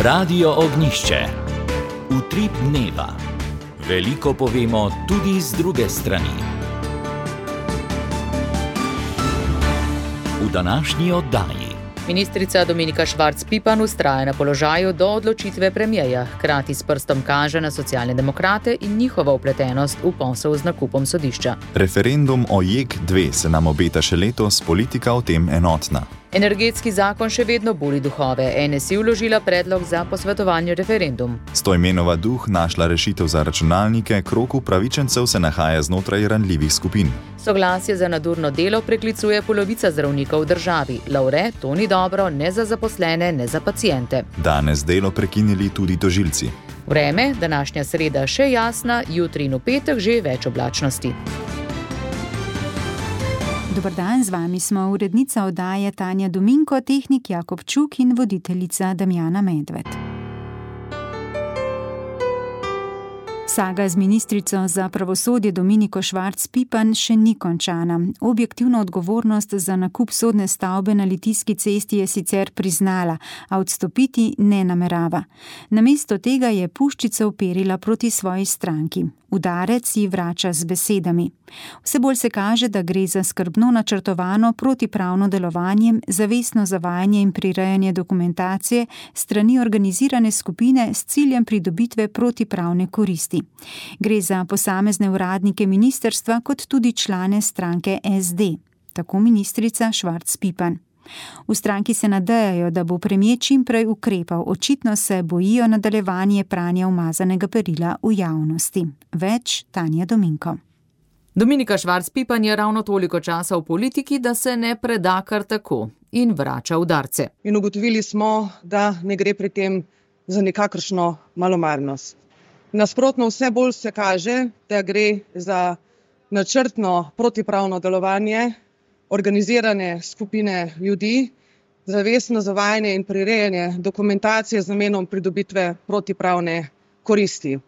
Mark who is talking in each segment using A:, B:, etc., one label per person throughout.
A: Radio Ognjišče. Utrip dneva. Veliko povemo tudi z druge strani. V današnji oddaji.
B: Ministrica Dominika Švarc Pipan vztraja na položaju do odločitve premierja, hkrati s prstom kaže na socialne demokrate in njihovo vpletenost v posel z nakupom sodišča.
C: Referendum o JEK2 se nam obeta še letos, politika o tem enotna.
B: Energetski zakon še vedno buri duhove. NSI vložila predlog za posvetovalni referendum.
C: Stojmenova Duh našla rešitev za računalnike, krog upravičencev se nahaja znotraj ranljivih skupin.
B: Soglasje za nadurno delo preklicuje polovica zdravnikov v državi. Lovre, to ni dobro ne za zaposlene, ne za paciente.
C: Danes delo prekinili tudi tožilci.
B: Vreme, današnja sreda še jasna, jutri in v petek že več oblačnosti.
D: Dobar dan, z vami smo urednica oddaje Tanja Dominko, tehnik Jakob Čuk in voditeljica Damjana Medved. Saga z ministrico za pravosodje Dominiko Švarc Pipan še ni končana. Objektivno odgovornost za nakup sodne stavbe na Litijski cesti je sicer priznala, a odstopiti ne namerava. Namesto tega je puščico uperila proti svoji stranki. Udarec ji vrača z besedami. Vse bolj se kaže, da gre za skrbno načrtovano protipravno delovanje, zavestno zavajanje in prirejanje dokumentacije strani organizirane skupine s ciljem pridobitve protipravne koristi. Gre za posamezne uradnike ministrstva kot tudi člane stranke SD. Tako ministrica Švarc Pipan. V stranki se nadejajo, da bo premier čim prej ukrepal, očitno se bojijo nadaljevanje pranja umazanega perila v javnosti. Več Tanja Dominko.
B: Dominika Švarc Pipan je ravno toliko časa v politiki, da se ne preda kar tako in vrača udarce.
E: In ugotovili smo, da ne gre pri tem za nikakršno malomarnost. Nasprotno, vse bolj se kaže, da gre za načrtno protipravno delovanje organizirane skupine ljudi, zavestno zavajanje in prirejanje dokumentacije z namenom pridobitve protipravne koristi.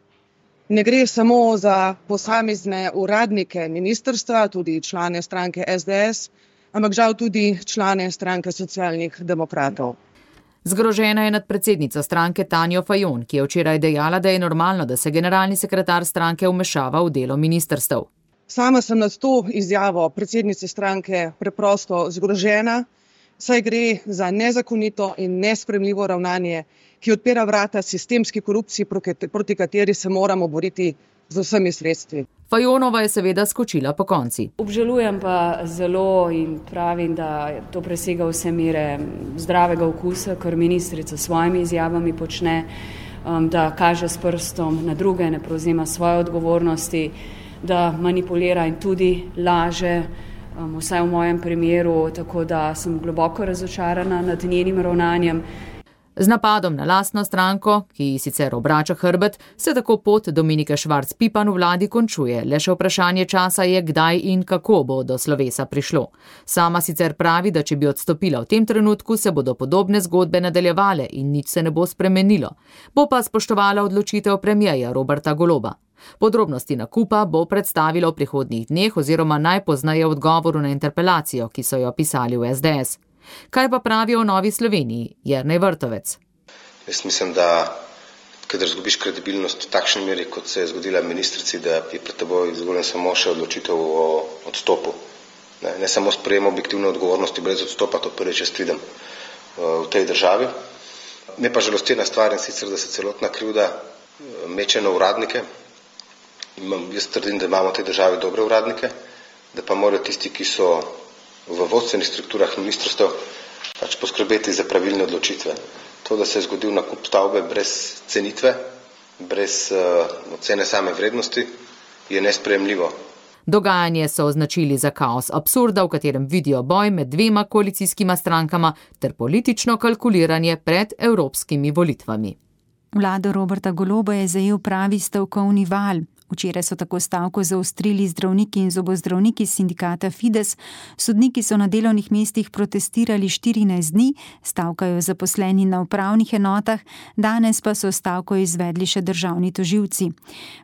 E: Ne gre samo za posamezne uradnike ministrstva, tudi člane stranke SDS, ampak žal tudi člane stranke socialnih demokratov.
B: Zgrožena je nad predsednico stranke Tanjo Fajon, ki je včeraj dejala, da je normalno, da se generalni sekretar stranke vmešava v delo ministrstev.
E: Sama sem nad to izjavo predsednice stranke preprosto zgrožena, saj gre za nezakonito in nesprejemljivo ravnanje, ki odpira vrata sistemski korupciji, proti kateri se moramo boriti z vsemi sredstvi.
B: Fajonova je seveda skočila po konci.
F: Obžalujem pa zelo in pravim, da to presega vse mere zdravega okusa, kar ministrica s svojimi izjavami počne, da kaže s prstom na druge, ne prevzema svoje odgovornosti, da manipulira in tudi laže, vsaj v mojem primeru, tako da sem globoko razočarana nad njenim ravnanjem.
B: Z napadom na lastno stranko, ki ji sicer obrača hrbet, se tako pot Dominike Švarc Pipan v vladi končuje. Le še vprašanje časa je, kdaj in kako bo do slovesa prišlo. Sama sicer pravi, da če bi odstopila v tem trenutku, se bodo podobne zgodbe nadaljevale in nič se ne bo spremenilo. Bo pa spoštovala odločitev premierja Roberta Goloba. Podrobnosti nakupa bo predstavila v prihodnjih dneh oziroma najpozneje v odgovoru na interpelacijo, ki so jo pisali v SDS. Kaj pa pravijo o Novi Sloveniji? Jernej Vrtovec.
G: Jaz mislim, da kadar izgubiš kredibilnost v takšni meri, kot se je zgodila ministrici, da je pred teboj izgoljen samo še odločitev o odstopu. Ne samo sprejem objektivne odgovornosti brez odstopa, to prvič jaz vidim v tej državi. Me pa žalosti ena stvar, in sicer, da se celotna krivda meče na uradnike. Jaz trdim, da imamo v tej državi dobre uradnike, da pa morajo tisti, ki so v vodstvenih strukturah ministrstev, pač poskrbeti za pravilne odločitve. To, da se je zgodil nakup stavbe brez cenitve, brez ocene same vrednosti, je nesprejemljivo.
B: Dogajanje so označili za kaos absurda, v katerem vidijo boj med dvema koalicijskima strankama ter politično kalkuliranje pred evropskimi volitvami.
D: Vlado Roberta Goloba je zajel pravi stavkovni val. Včeraj so tako stavko zaostrili zdravniki in zobozdravniki sindikata Fides. Sodniki so na delovnih mestih protestirali 14 dni, stavkajo zaposleni na upravnih enotah, danes pa so stavko izvedli še državni tožilci.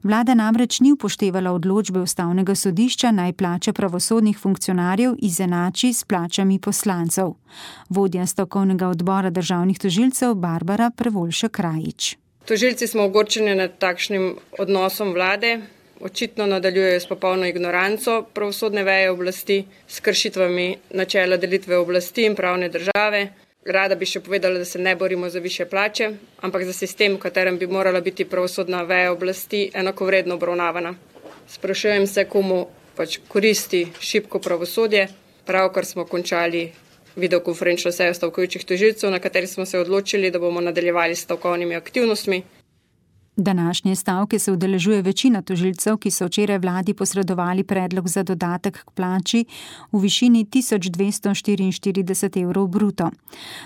D: Vlada namreč ni upoštevala odločbe Ustavnega sodišča, naj plače pravosodnih funkcionarjev izenači s plačami poslancev. Vodja stavkovnega odbora državnih tožilcev Barbara Prevolšek-Rajić.
H: Tožilci smo ogorčeni nad takšnim odnosom vlade, očitno nadaljujejo s popolno ignoranco pravosodne veje oblasti, s kršitvami načela delitve oblasti in pravne države. Rada bi še povedala, da se ne borimo za višje plače, ampak za sistem, v katerem bi morala biti pravosodna veja oblasti enakovredno obravnavana. Sprašujem se, komu koristi šibko pravosodje. Pravkar smo končali videokonferenčno sejo stavkujočih tožilcev, na kateri smo se odločili, da bomo nadaljevali s stavkovnimi aktivnostmi.
D: Današnje stavke se udeležuje večina tožilcev, ki so včeraj vladi posredovali predlog za dodatek k plači v višini 1244 evrov bruto.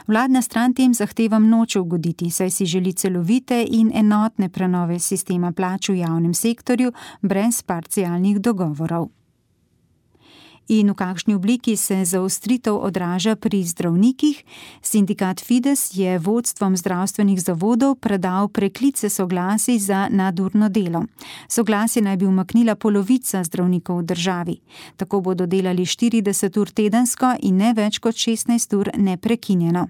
D: Vladna stran tem zahtevam noče ugoditi, saj si želi celovite in enotne prenove sistema plač v javnem sektorju brez parcialnih dogovorov. In v kakšni obliki se zaostritev odraža pri zdravnikih? Sindikat Fides je vodstvom zdravstvenih zavodov predal preklice soglasij za nadurno delo. Soglasje naj bi umaknila polovica zdravnikov v državi. Tako bodo delali 40 ur tedensko in ne več kot 16 ur neprekinjeno.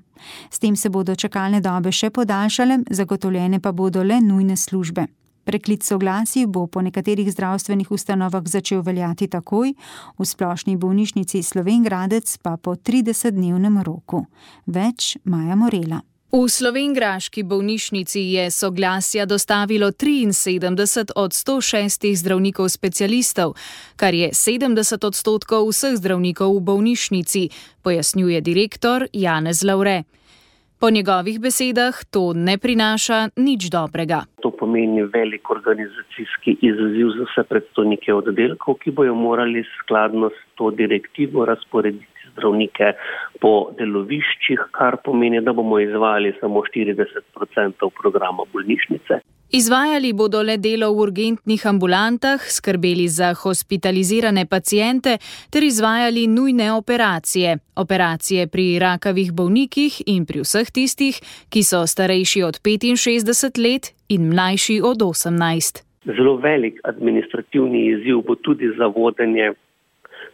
D: S tem se bodo čakalne dobe še podaljšale, zagotovljene pa bodo le nujne službe. Preklic soglasij bo po nekaterih zdravstvenih ustanovah začel veljati takoj, v Splošni bolnišnici Slovenj Gradec pa po 30-dnevnem roku. Več Maja Morela.
I: V slovenjgraški bolnišnici je soglasja dostavilo 73 od 106 zdravnikov specialistov, kar je 70% vseh zdravnikov v bolnišnici, pojasnjuje direktor Janez Lavre. Po njegovih besedah to ne prinaša nič dobrega.
J: To pomeni velik organizacijski izziv za vse predstojnike oddelkov, ki bojo morali skladno s to direktivo razporediti zdravnike po deloviščih, kar pomeni, da bomo izvajali samo 40% programa bolnišnice.
I: Izvajali bodo le delo v urgentnih ambulantah, skrbeli za hospitalizirane paciente ter izvajali nujne operacije. Operacije pri rakavih bolnikih in pri vseh tistih, ki so starejši od 65 let in mlajši od 18.
J: Zelo velik administrativni izziv bo tudi za vodenje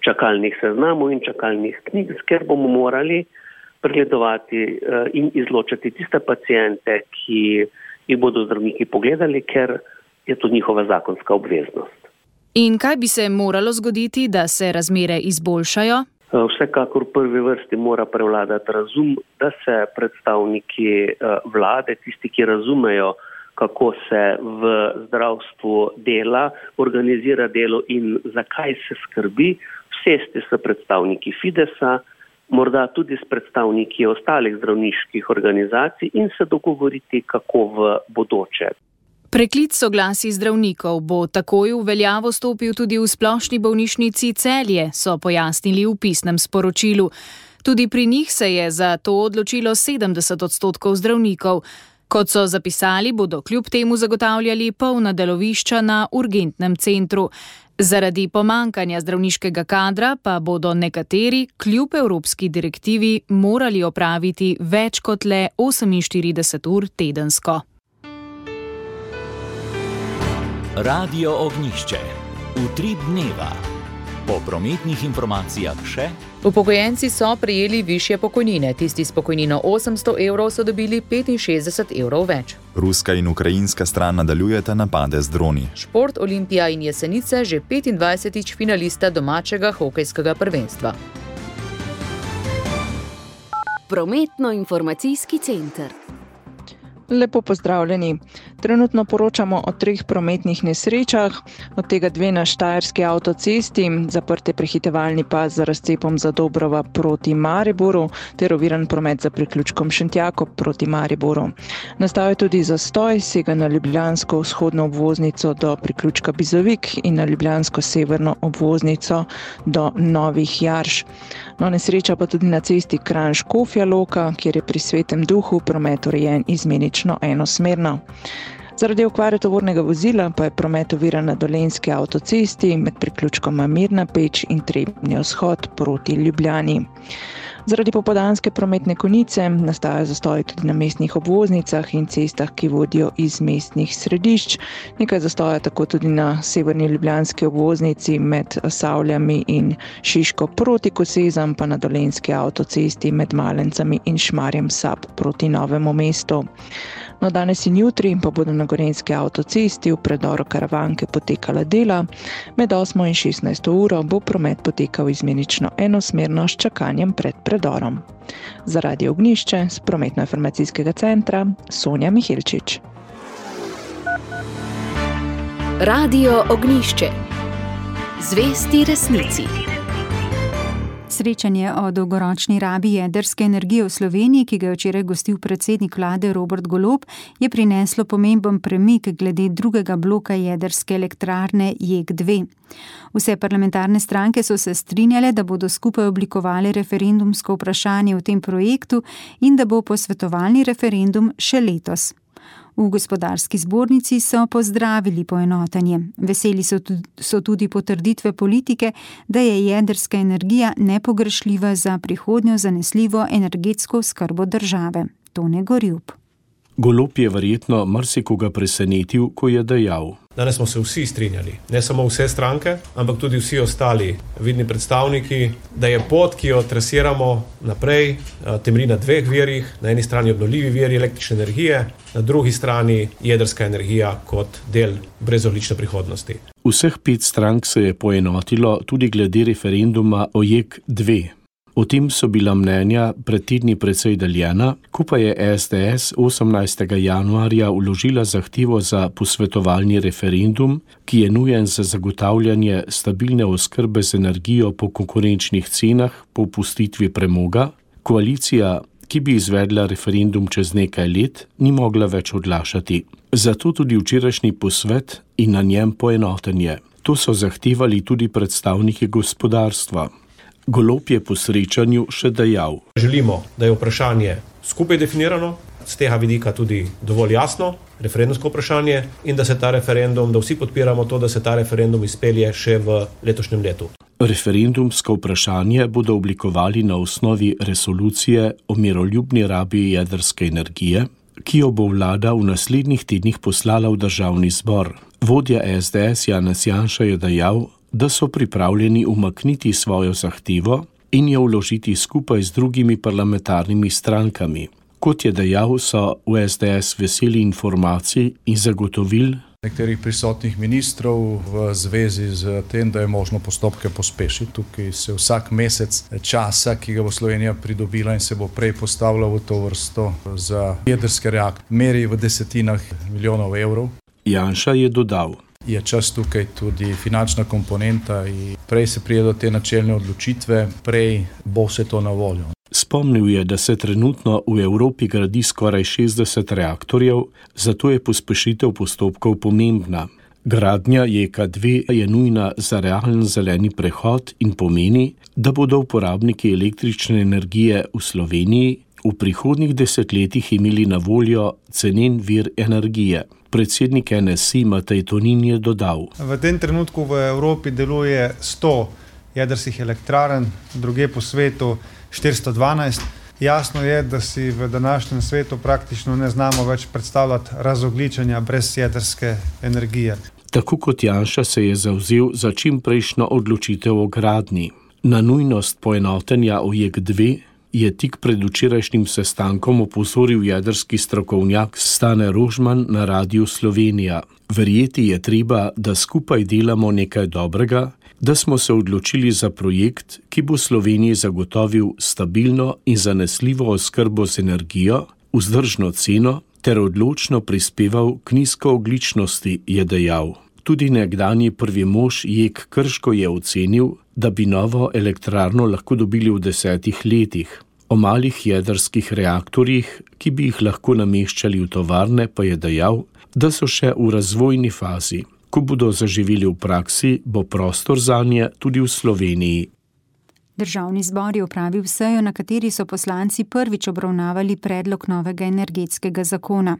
J: čakalnih seznamov in čakalnih knjig, ker bomo morali pregledovati in izločati tiste paciente, ki jih bodo zdravniki pogledali, ker je to njihova zakonska obveznost.
I: In kaj bi se moralo zgoditi, da se razmere izboljšajo?
J: Vsekakor v prvi vrsti mora prevladati razum, da se predstavniki vlade, tisti, ki razumejo, kako se v zdravstvu dela, organizira delo in zakaj se skrbi, sesti s predstavniki Fidesa, morda tudi s predstavniki ostalih zdravniških organizacij in se dogovoriti, kako v bodoče.
I: Preklic soglasij zdravnikov bo takoj v veljavo stopil tudi v Splošni bolnišnici Celje, so pojasnili v pisnem sporočilu. Tudi pri njih se je za to odločilo 70% zdravnikov. Kot so zapisali, bodo kljub temu zagotavljali polna delovišča na urgentnem centru. Zaradi pomankanja zdravniškega kadra pa bodo nekateri kljub evropski direktivi morali opraviti več kot le 48 ur tedensko.
A: Radio Ognjišče. Utrip dneva. Po prometnih informacijah še.
B: Upokojenci so prejeli višje pokojnine. Tisti s pokojnino 800 evrov so dobili 65 evrov več.
C: Ruska in ukrajinska stran nadaljujeta napade z droni.
B: Šport, Olimpija in Jesenice že 25. finalista domačega hokejskega prvenstva.
K: Prometno-informacijski center.
L: Lepo pozdravljeni. Trenutno poročamo o 3 prometnih nesrečah, od tega 2 na Štajerski avtocesti, zaprte prehitevalni pas za razcepom Zadobrova proti Mariboru, ter oviran promet za priključkom Šentjakov proti Mariboru. Nastal je tudi zastoj, sega na ljubljansko vzhodno obvoznico do priključka Bizovik in na ljubljansko severno obvoznico do Novih Jarš. Nesreča pa tudi na cesti Kranj-Škofja Loka, kjer je pri Svetem Duhu promet urejen izmenično enosmerno. Zaradi okvare tovornega vozila pa je promet oviran na Dolenjski avtocesti med priključkoma Mirna Peč in Trebnji vzhod proti Ljubljani. Zaradi popoldanske prometne konice nastaja zastoj tudi na mestnih obvoznicah in cestah, ki vodijo iz mestnih središč. Nekaj zastoja tako tudi na severni ljubljanski obvoznici med Savljami in Šiško proti Kosezam, pa na Dolenjski avtocesti med Malencami in Šmarjem Sab proti Novemu mestu. No, danes in jutri pa bodo na Gorenjski avtocesti v predoru Karavanke potekala dela. Med 8 in 16 uro bo promet potekal izmenično enosmerno s čakanjem pred predorom. Za Radio Ognjišče z prometno-informacijskega centra Sonja Mihilčič.
K: Radio Ognjišče. Zvesti resnici.
D: Srečanje o dolgoročni rabi jedrske energije v Sloveniji, ki ga je včeraj gostil predsednik vlade Robert Golob, je prineslo pomemben premik glede drugega bloka jedrske elektrarne JEK2. Vse parlamentarne stranke so se strinjale, da bodo skupaj oblikovali referendumsko vprašanje v tem projektu in da bo posvetovalni referendum še letos. V gospodarski zbornici so pozdravili poenotenje. Veseli so tudi potrditve politike, da je jedrska energija nepogrešljiva za prihodnjo zanesljivo energetsko oskrbo države. Tone Gorjup.
M: Golob je verjetno marsikoga presenetil, ko je dejal:
N: Danes smo se vsi strinjali, ne samo vse stranke, ampak tudi vsi ostali vidni predstavniki, da je pot, ki jo trasiramo naprej, temelji na dveh virih, na eni strani obnovljivi viri električne energije, na drugi strani jedrska energija kot del brezogljične prihodnosti.
M: Vseh 5 strank se je poenotilo tudi glede referenduma o JEK2. O tem so bila mnenja pred tedni precej deljena, ko pa je SDS 18. januarja vložila zahtevo za posvetovalni referendum, ki je nujen za zagotavljanje stabilne oskrbe z energijo po konkurenčnih cenah po opustitvi premoga, koalicija, ki bi izvedla referendum čez nekaj let, ni mogla več odlašati. Zato tudi včerajšnji posvet in na njem poenotenje. To so zahtevali tudi predstavniki gospodarstva. Golob je po srečanju še dejal:
N: Želimo, da je vprašanje skupaj definirano, z tega vidika tudi dovolj jasno, referendumsko vprašanje, in da se ta referendum, da vsi podpiramo to, da se ta referendum izpelje še v letošnjem letu.
M: Referendumsko vprašanje bodo oblikovali na osnovi resolucije o miroljubni rabi jedrske energije, ki jo bo vlada v naslednjih tednih poslala v državni zbor. Vodja SDS Janez Janša je dejal, da so pripravljeni umakniti svojo zahtevo in jo vložiti skupaj z drugimi parlamentarnimi strankami. Kot je dejal, so v SDS veseli informacij in zagotovil
O: nekaterih prisotnih ministrov v zvezi z tem, da je možno postopke pospešiti. Tukaj se vsak mesec časa, ki ga bo Slovenija pridobila in se bo prej postavila v to vrsto za jedrske reaktorje, meri v desetinah milijonov evrov.
M: Janša je dodal:
O: Je čas tukaj tudi finančna komponenta in prej se pride do te načelne odločitve, prej bo vse to na voljo.
M: Spomnil je, da se trenutno v Evropi gradi skoraj 60 reaktorjev, zato je pospešitev postopkov pomembna. Gradnja JEK2 je nujna za realen zeleni prehod in pomeni, da bodo uporabniki električne energije v Sloveniji v prihodnjih desetletjih imeli na voljo cenen vir energije. Predsednik NSI Matej Tonin je dodal:
P: V tem trenutku v Evropi deluje 100 jedrskih elektrarn, druge po svetu 412. Jasno je, da si v današnjem svetu praktično ne znamo več predstavljati razogljičenja brez jedrske energije.
M: Tako kot Janša se je zavzel za čimprejšnjo odločitev o gradnji. Na nujnost poenotenja o JEK2 je tik pred včerajšnjim sestankom opozoril jedrski strokovnjak Stane Rožman na Radiu Slovenija. Verjeti je treba, da skupaj delamo nekaj dobrega, da smo se odločili za projekt, ki bo Sloveniji zagotovil stabilno in zanesljivo oskrbo z energijo, vzdržno ceno ter odločno prispeval k nizkoogljičnosti, je dejal. Tudi nekdanji prvi mož JEK Krško je ocenil, da bi novo elektrarno lahko dobili v 10 letih. O malih jedrskih reaktorjih, ki bi jih lahko nameščali v tovarne, pa je dejal, da so še v razvojni fazi. Ko bodo zaživeli v praksi, bo prostor zanje tudi v Sloveniji.
D: Državni zbor je opravil sejo, na kateri so poslanci prvič obravnavali predlog novega energetskega zakona.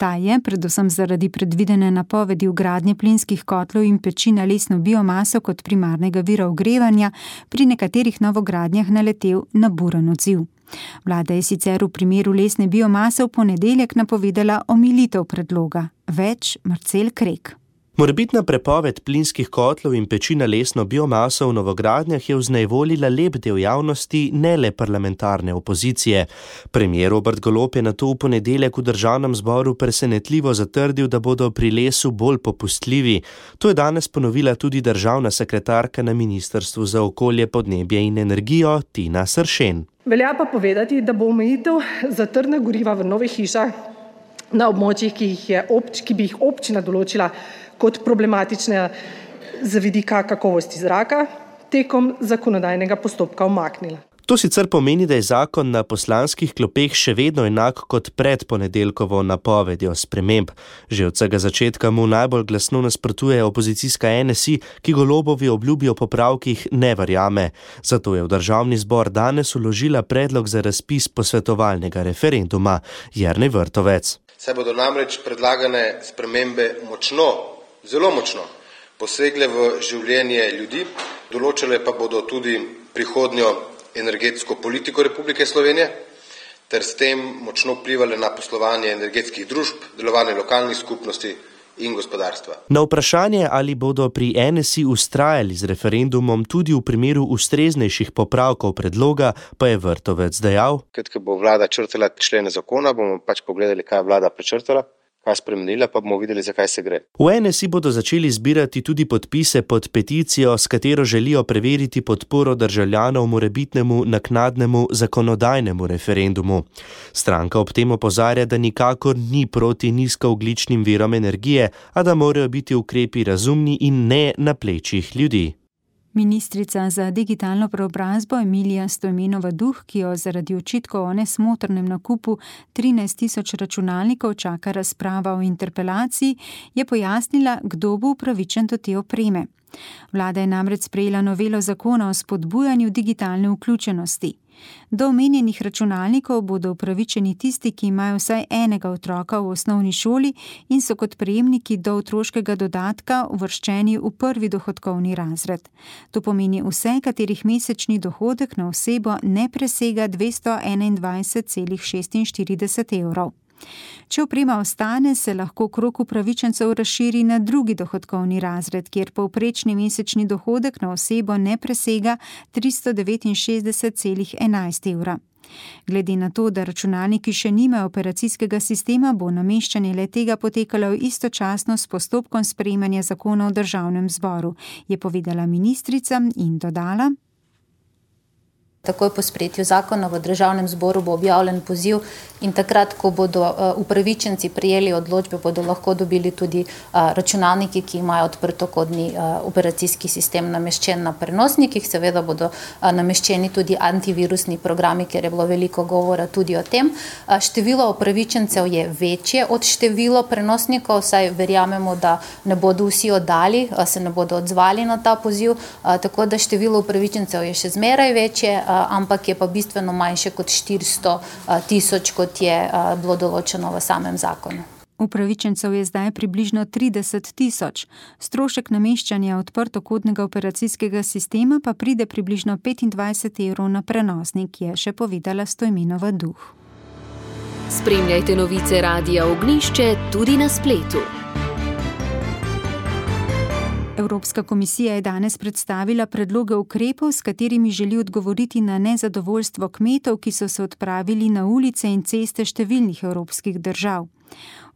D: Ta je, predvsem zaradi predvidene napovedi vgradnje plinskih kotlov in peči na lesno biomaso kot primarnega vira ogrevanja, pri nekaterih novogradnjah naletel na buren odziv. Vlada je sicer v primeru lesne biomase v ponedeljek napovedala omilitev predloga. Več Marcel Krek.
Q: Morebitna prepoved plinskih kotlov in peči na lesno biomaso v novogradnjah je vznejevoljila lep del javnosti, ne le parlamentarne opozicije. Premier Robert Golob je nato v ponedeljek v državnem zboru presenetljivo zatrdil, da bodo pri lesu bolj popustljivi. To je danes ponovila tudi državna sekretarka na Ministrstvu za okolje, podnebje in energijo Tina Sršen.
R: Velja pa povedati, da bo omejitev za trdna goriva v novih hišah na območjih, ki bi jih občina določila kot problematične z vidika kakovosti zraka, tekom zakonodajnega postopka umaknila.
Q: To sicer pomeni, da je zakon na poslanskih klopeh še vedno enak kot pred ponedeljkovo napovedjo sprememb. Že od vsega začetka mu najbolj glasno nasprotuje opozicijska NSI, ki Golobovi obljubi o popravkih ne verjame. Zato je v državni zbor danes vložila predlog za razpis posvetovalnega referenduma. Jernej Vrtovec.
G: Saj bodo namreč predlagane spremembe zelo močno posegle v življenje ljudi, določile pa bodo tudi prihodnjo energetsko politiko Republike Slovenije, ter s tem močno vplivale na poslovanje energetskih družb, delovanje lokalnih skupnosti in gospodarstva.
Q: Na vprašanje, ali bodo pri NSI vztrajali z referendumom tudi v primeru ustreznejših popravkov predloga, pa je Vrtovec dejal:
G: Ko bo vlada črtala člene zakona, bomo pogledali, kaj je vlada prečrtala, kaj spremenila, pa bomo videli, zakaj se gre.
Q: V NSI bodo začeli zbirati tudi podpise pod peticijo, s katero želijo preveriti podporo državljanov morebitnemu naknadnemu zakonodajnemu referendumu. Stranka ob tem opozarja, da nikakor ni proti nizkoogljičnim virom energije, a da morajo biti ukrepi razumni in ne na plečih ljudi.
D: Ministrica za digitalno preobrazbo Emilija Stojmenova Duh, ki jo zaradi očitkov o nesmotrnem nakupu 13.000 računalnikov čaka razprava o interpelaciji, je pojasnila, kdo bo upravičen do te opreme. Vlada je namreč sprejela novelo zakona o spodbujanju digitalne vključenosti. Do omenjenih računalnikov bodo upravičeni tisti, ki imajo vsaj enega otroka v osnovni šoli in so kot prejemniki do otroškega dodatka uvrščeni v prvi dohodkovni razred. To pomeni vse, katerih mesečni dohodek na osebo ne presega 221,46 evrov. Če oprema ostane, se lahko krog upravičencev razširi na drugi dohodkovni razred, kjer povprečni mesečni dohodek na osebo ne presega 369,11 evra. Glede na to, da računalniki še nimajo operacijskega sistema, bo nameščanje le-tega potekalo istočasno s postopkom sprejemanja zakona v državnem zboru, je povedala ministrica in dodala:
S: Takoj po sprejetju zakona v državnem zboru bo objavljen poziv in takrat, ko bodo upravičenci prijeli odločbe, bodo lahko dobili tudi računalniki, ki imajo odprtokodni operacijski sistem nameščen na prenosnikih. Seveda bodo nameščeni tudi antivirusni programi, ker je bilo veliko govora tudi o tem. Število upravičencev je večje od število prenosnikov, saj verjamemo, da ne bodo vsi oddali, se ne bodo odzvali na ta poziv, tako da število upravičencev je še zmeraj večje, ampak je pa bistveno manjše kot 400.000, kot je bilo določeno v samem zakonu.
D: Upravičencev je zdaj približno 30.000. Strošek nameščanja odprtokodnega operacijskega sistema pa pride približno 25 evrov na prenosnik, je še povedala Stojmenova Duh.
K: Spremljajte novice Radia Ognjišče tudi na spletu.
D: Evropska komisija je danes predstavila predloge ukrepov, s katerimi želi odgovoriti na nezadovoljstvo kmetov, ki so se odpravili na ulice in ceste številnih evropskih držav.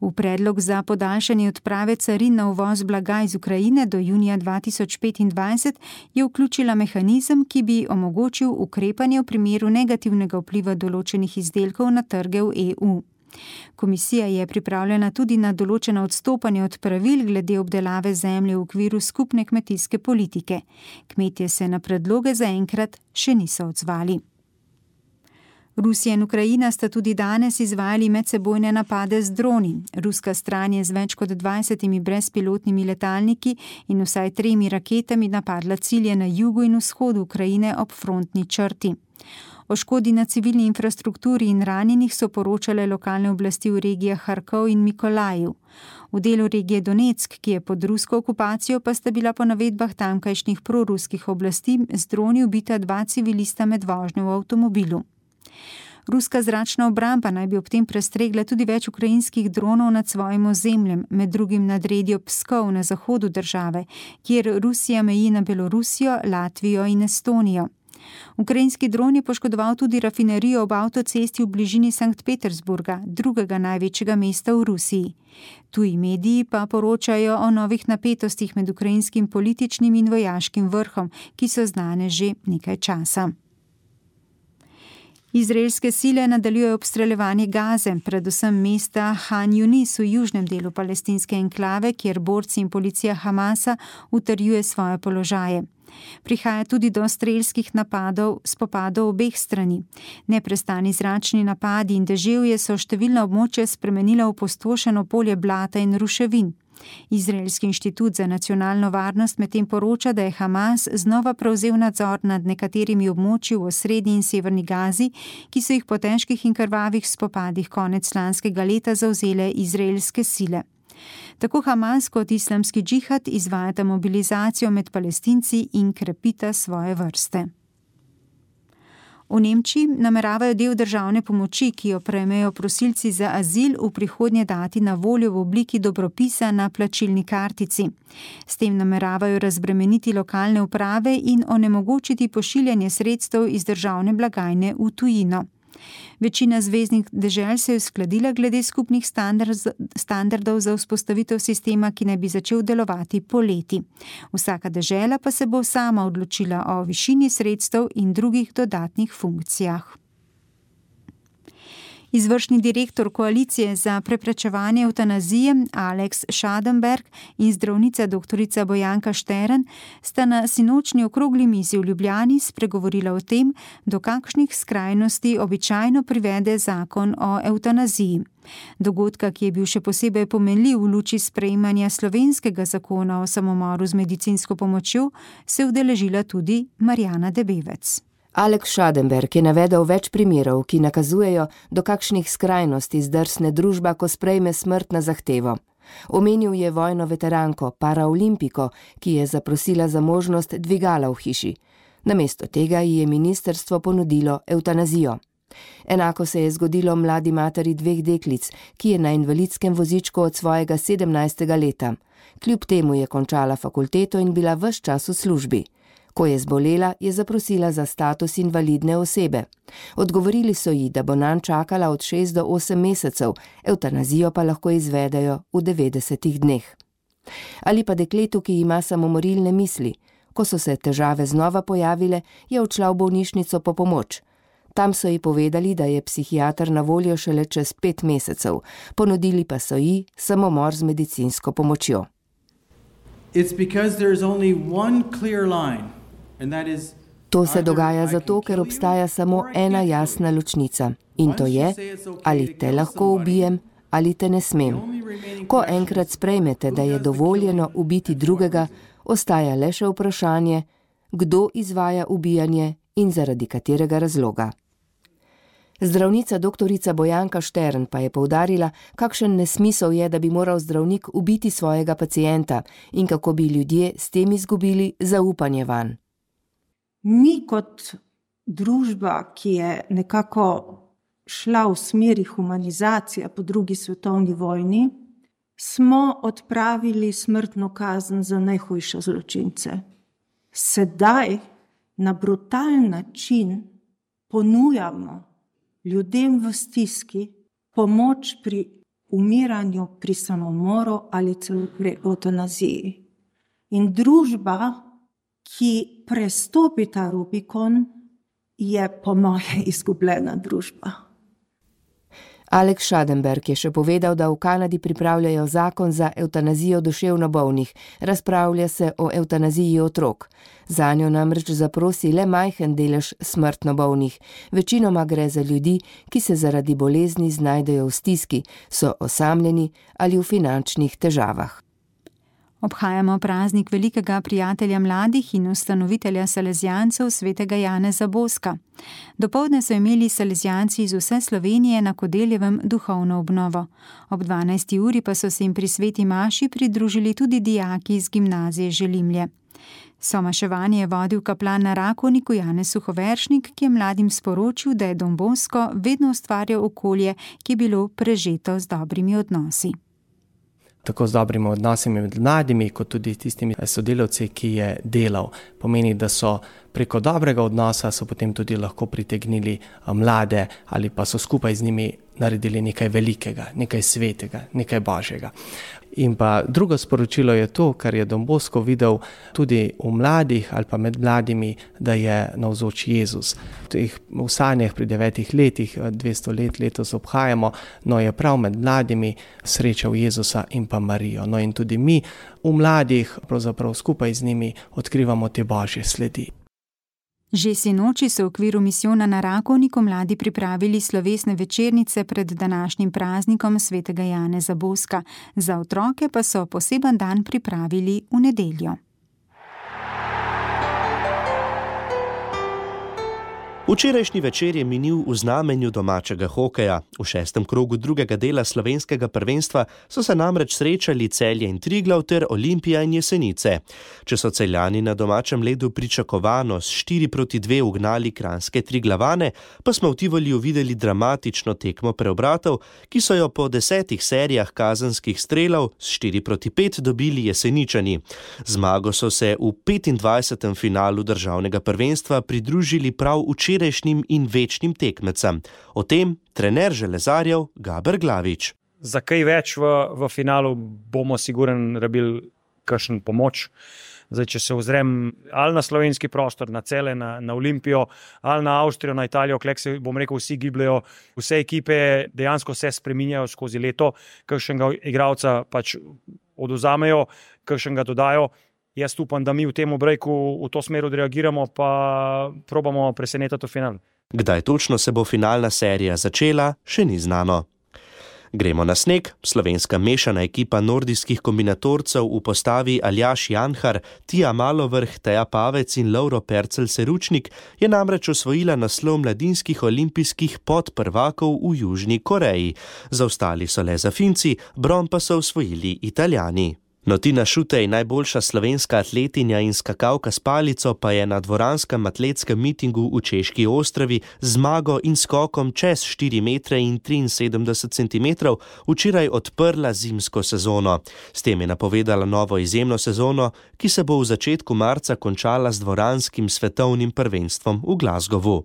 D: V predlog za podaljšanje odprave carin na uvoz blaga iz Ukrajine do junija 2025 je vključila mehanizem, ki bi omogočil ukrepanje v primeru negativnega vpliva določenih izdelkov na trge v EU. Komisija je pripravljena tudi na določena odstopanja od pravil glede obdelave zemlje v okviru skupne kmetijske politike. Kmetje se na predloge zaenkrat še niso odzvali. Rusija in Ukrajina sta tudi danes izvajali medsebojne napade z droni. Ruska stran je z več kot 20 brezpilotnimi letalniki in vsaj 3 raketami napadla cilje na jugu in vzhodu Ukrajine ob frontni črti. O škodi na civilni infrastrukturi in ranjenih so poročale lokalne oblasti v regijah Harkov in Mikolajiv. V delu regije Donetsk, ki je pod rusko okupacijo, pa sta bila po navedbah tamkajšnjih proruskih oblasti z droni ubita 2 civilista med vožnjo v avtomobilu. Ruska zračna obramba naj bi ob tem prestregla tudi več ukrajinskih dronov nad svojim ozemljem, med drugim nad regjo Pskov na zahodu države, kjer Rusija meji na Belorusijo, Latvijo in Estonijo. Ukrajinski dron je poškodoval tudi rafinerijo ob avtocesti v bližini Sankt Petersburga, drugega največjega mesta v Rusiji. Tuji mediji pa poročajo o novih napetostih med ukrajinskim političnim in vojaškim vrhom, ki so znane že nekaj časa. Izraelske sile nadaljujejo obstreljevanje Gaze, predvsem mesta Han Yunis v južnem delu palestinske enklave, kjer borci in policija Hamasa utrjuje svoje položaje. Prihaja tudi do strelskih spopadov obeh strani. Neprestani zračni napadi in deževje so številna območja spremenila v opustošeno polje blata in ruševin. Izraelski inštitut za nacionalno varnost medtem poroča, da je Hamas znova prevzel nadzor nad nekaterimi območji v osrednji in severni Gazi, ki so jih po težkih in krvavih spopadih konec lanskega leta zavzele izraelske sile. Tako Hamas kot islamski džihad izvajata mobilizacijo med Palestinci in krepita svoje vrste. V Nemčiji nameravajo del državne pomoči, ki jo prejmejo prosilci za azil, v prihodnje dati na voljo v obliki dobropisa na plačilni kartici. S tem nameravajo razbremeniti lokalne uprave in onemogočiti pošiljanje sredstev iz državne blagajne v tujino. Večina zveznih dežel se je uskladila glede skupnih standardov za vzpostavitev sistema, ki naj bi začel delovati poleti. Vsaka dežela pa se bo sama odločila o višini sredstev in drugih dodatnih funkcijah. Izvršni direktor koalicije za preprečevanje evtanazije Alex Schadenberg in zdravnica doktorica Bojanka Štern sta na sinočnji okrogli mizi v Ljubljani spregovorila o tem, do kakšnih skrajnosti običajno privede zakon o evtanaziji. Dogodka, ki je bil še posebej pomenljiv v luči sprejemanja slovenskega zakona o samomoru z medicinsko pomočjo, se je udeležila tudi Marjana Debevec.
T: Alex Schadenberg je navedel več primerov, ki nakazujejo, do kakšnih skrajnosti zdrsne družba, ko sprejme smrt na zahtevo. Omenil je vojno veteranko, paraolimpiko, ki je zaprosila za možnost dvigala v hiši. Namesto tega ji je ministrstvo ponudilo evtanazijo. Enako se je zgodilo mladi materi 2 deklic, ki je na invalidskem vozičku od svojega 17. leta. Kljub temu je končala fakulteto in bila ves čas v službi. Ko je zbolela, je zaprosila za status invalidne osebe. Odgovorili so ji, da bo nanj čakala od 6 do 8 mesecev, evtanazijo pa lahko izvedejo v 90 dneh. Ali pa dekletu, ki ima samomorilne misli. Ko so se težave znova pojavile, je odšla v bolnišnico po pomoč. Tam so ji povedali, da je psihiater na voljo šele čez 5 mesecev, ponudili pa so ji samomor z medicinsko pomočjo. To se dogaja zato, ker obstaja samo ena jasna ločnica. In to je, ali te lahko ubijem, ali te ne smem. Ko enkrat sprejmete, da je dovoljeno ubiti drugega, ostaja le še vprašanje, kdo izvaja ubijanje in zaradi katerega razloga. Zdravnica doktorica Bojanka Štern pa je poudarila, kakšen nesmisel je, da bi moral zdravnik ubiti svojega pacienta in kako bi ljudje s tem izgubili zaupanje vanj.
U: Mi kot družba, ki je nekako šla v smeri humanizacije po 2. svetovni vojni, smo odpravili smrtno kazen za najhujše zločince. Sedaj na brutalen način ponujamo ljudem v stiski pomoč pri umiranju, pri samomoru ali celo pri evtanaziji. In družba, ki prestopi ta Rubikon, je po moje izgubljena družba.
T: Alex Schadenberg je še povedal, da v Kanadi pripravljajo zakon za evtanazijo duševno bolnih. Razpravlja se o evtanaziji otrok. Zanjo namreč zaprosi le majhen delež smrtno bolnih. Večinoma gre za ljudi, ki se zaradi bolezni znajdejo v stiski, so osamljeni ali v finančnih težavah.
D: Obhajamo praznik velikega prijatelja mladih in ustanovitelja salezijancev svetega Janeza Boska. Dopoldne so imeli salezijanci iz vse Slovenije na Kodeljevem duhovno obnovo. Ob 12. uri pa so se jim pri sveti maši pridružili tudi dijaki iz gimnazije Želimlje. Somaševanje je vodil kaplan na Rakovniku Janez Suhoveršnik, ki je mladim sporočil, da je Don Bosco vedno ustvarjal okolje, ki je bilo prežeto z dobrimi odnosi.
E: Tako z dobrimi odnosi med mladimi, kot tudi tistimi sodelavci, ki je delal. Pomeni, da so preko dobrega odnosa so potem tudi lahko pritegnili mlade ali pa so skupaj z njimi naredili nekaj velikega, nekaj svetega, nekaj božjega. In pa drugo sporočilo je to, kar je Don Bosco videl tudi v mladih ali pa med mladimi, da je navzoč Jezus. V sanjah pri 9 letih, 200 let letos obhajamo, no je prav med mladimi srečal Jezusa in pa Marijo. No in tudi mi v mladih, pravzaprav skupaj z njimi, odkrivamo te božje sledi.
D: Že sinoči so v okviru misijona na Rakovniku mladi pripravili slovesne večernice pred današnjim praznikom svetega Janeza Boska. Za otroke pa so poseben dan pripravili v nedeljo.
Q: Včerajšnji večer je minil v znamenju domačega hokeja. V 6. krogu drugega dela slovenskega prvenstva so se namreč srečali Celje in Triglav ter Olimpija in Jesenice. Če so Celjani na domačem ledu pričakovano s 4-2 ugnali kranjske Triglavane, pa smo v Tivoliju videli dramatično tekmo preobratov, ki so jo po 10 serijah kazenskih strelov s 4-5 dobili Jeseničani. Zmago so se v 25. finalu državnega prvenstva pridružili prav včerajšnjim in večnim tekmecem. O tem trener železarjev Gaber Glavič.
V: Za kaj več v finalu bomo sigurno rabili kakšen pomoč. Zdaj, če se ozrem ali na slovenski prostor, na Celje, na Olimpijo, ali na Avstrijo, na Italijo, klek se, bom rekel, vsi gibljajo, vse ekipe dejansko se spreminjajo skozi leto, kakšnega igralca pač oduzamejo, kakšnega dodajo. Jaz upam, da mi v tem brejku v to smer odreagiramo, pa probamo presenetiti v finalu.
Q: Kdaj točno se bo finalna serija začela, še ni znano. Gremo na sneg. Slovenska mešana ekipa nordijskih kombinatorcev v postavi Aljaž Janhar, Tija Malovrh, Teja Pavec in Lovro Percel-Seručnik je namreč osvojila naslov mladinskih olimpijskih podprvakov v Južni Koreji. Zaostali so le za Finci, bron pa so osvojili Italijani. No, Tina Šutej, najboljša slovenska atletinja in skakalka s palico, pa je na dvoranskem atletskem mitingu v Češki Ostrovi z zmago in skokom čez 4 metre in 73 centimetrov včeraj odprla zimsko sezono. S tem je napovedala novo izjemno sezono, ki se bo v začetku marca končala z dvoranskim svetovnim prvenstvom v Glasgowu.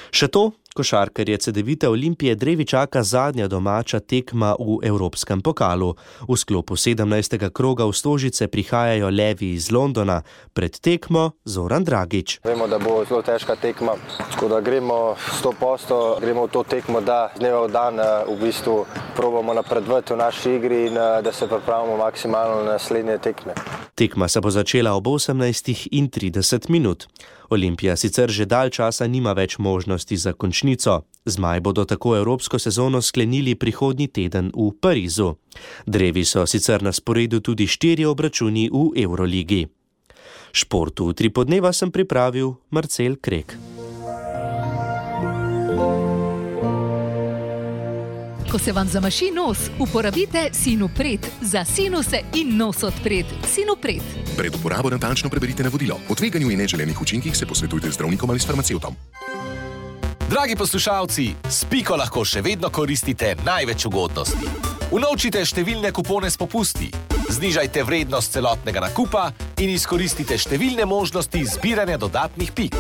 Q: Še to, košarkarje Cedevite Olimpije drevi čaka zadnja domača tekma v Evropskem pokalu. V sklopu 17. kroga v Stožice prihajajo levi iz Londona, pred tekmo Zoran Dragič.
W: Vemo, da bo zelo težka tekma, tako da gremo 100%, gremo v to tekmo, da z dneva v dan v bistvu probamo napredovati v naši igri in da se pripravimo maksimalno na naslednje tekme.
Q: Tekma se bo začela ob 18:30 minut. Olimpija sicer že dalj časa nima več možnosti za končnico. Zmaj bodo tako evropsko sezono sklenili prihodnji teden v Parizu. Drevi so sicer na sporedu tudi 4 obračuni v Evroligi. Športu 3 podneva sem pripravil Marcel Krek.
X: Ko se vam zamaši nos, uporabite Sinopret za sinuse in nos odpret. Sinopret.
Y: Pred uporabo natančno preberite navodilo. O tveganju in neželenih učinkih se posvetujte z zdravnikom ali s farmacevtom.
Z: Dragi poslušalci, s Piko lahko še vedno koristite največ ugodnosti. Unovčite številne kupone s popusti, znižajte vrednost celotnega nakupa in izkoristite številne možnosti zbiranja dodatnih pik.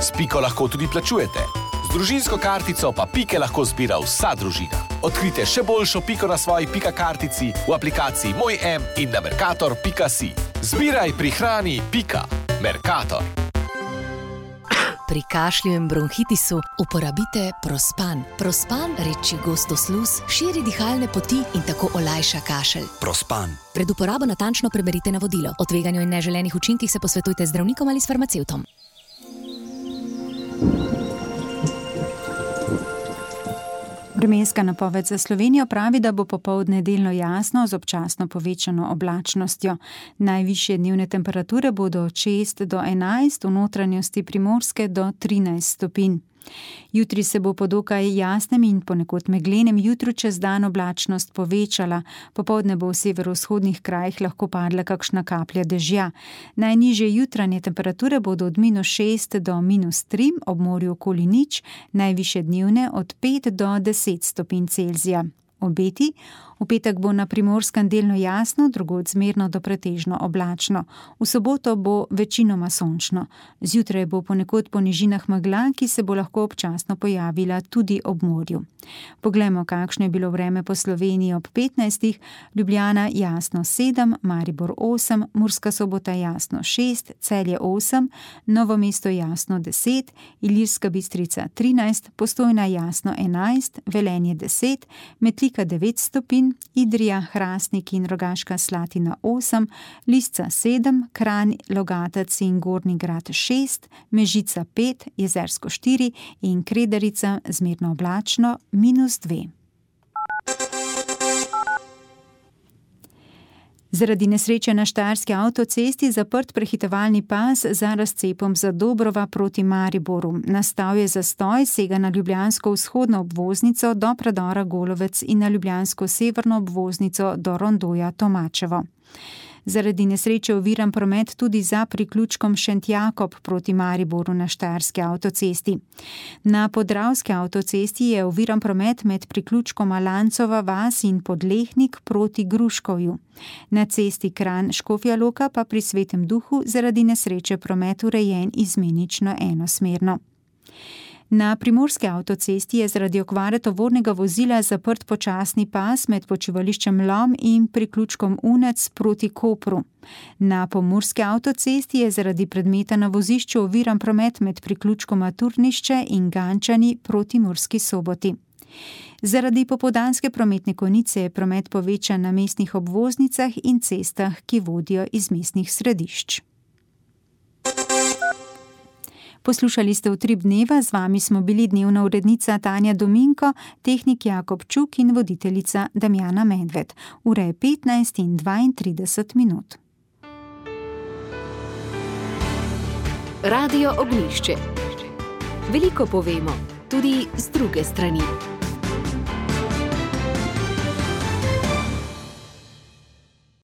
Z: S Piko lahko tudi plačujete. Z družinsko kartico pa Pike lahko zbira vsa družina. Odkrite še boljšo Piko na svoji Pika kartici v aplikaciji Moj M in na mercator.si. Zbiraj, prihrani, Pika. Mercator.
X: Pri kašlju in bronhitisu uporabite Prospan. Prospan reči gosto sluz, širi dihalne poti in tako olajša kašelj.
Y: Prospan.
X: Pred uporabo natančno preberite navodilo. O tveganju in neželenih učinkih se posvetujte z zdravnikom ali s farmacevtom.
D: Vremenska napoved za Slovenijo pravi, da bo popoldne delno jasno z občasno povečano oblačnostjo. Najvišje dnevne temperature bodo od 6 do 11, v notranjosti Primorske do 13 stopinj. Jutri se bo po dokaj jasnem in ponekod meglenem jutru čez dan oblačnost povečala. Popoldne bo v severovzhodnih krajih lahko padla kakšna kaplja dežja. Najnižje jutranje temperature bodo od -6 do -3, ob morju okoli 0, najvišje dnevne od 5 do 10 stopinj Celzija. Obeti: v petek bo na Primorskem delno jasno, drugod zmerno do pretežno oblačno. V soboto bo večinoma sončno. Zjutraj bo ponekod po nižinah megla, ki se bo lahko občasno pojavila tudi ob morju. Poglejmo, kakšno je bilo vreme po Sloveniji ob 15. Ljubljana jasno 7, Maribor 8, Murska Sobota jasno 6, Celje 8, Novo mesto jasno 10, Ilirska Bistrica 13, Postojna jasno 11, Velenje 10, Metlika 9 stopinj, Idrija, Hrastnik in Rogaška Slatina 8, Lisca 7, Kranj, Logatec in Gornji Grad 6, Mežica 5, Jezersko 4 in Kredarica zmerno oblačno -2. Zaradi nesreče na štajerski avtocesti zaprt prehitevalni pas za razcepom Zadobrova proti Mariboru. Nastal je zastoj, sega na ljubljansko vzhodno obvoznico do predora Golovec in na ljubljansko severno obvoznico do rondoja Tomačevo. Zaradi nesreče oviran promet tudi za priključkom Šentjakob proti Mariboru na štajerski avtocesti. Na podravski avtocesti je oviran promet med priključkom Alancova vas in Podlehnik proti Gruškovju. Na cesti Kranj-Škofja Loka pa pri Svetem Duhu zaradi nesreče promet urejen izmenično enosmerno. Na primorski avtocesti je zaradi okvare tovornega vozila zaprt počasni pas med počivališčem Lom in priključkom Unec proti Kopru. Na pomurski avtocesti je zaradi predmeta na vozišču oviran promet med priključkoma Turnišče in Gančani proti Murski Soboti. Zaradi popoldanske prometne konice je promet povečan na mestnih obvoznicah in cestah, ki vodijo iz mestnih središč. Poslušali ste Utrip dneva, z vami smo bili dnevna urednica Tanja Dominko, tehnik Jakob Čuk in voditeljica Damjana Medved. Ura je 15 in 32 minut.
K: Radio Ognjišče. Veliko povemo, tudi z druge strani.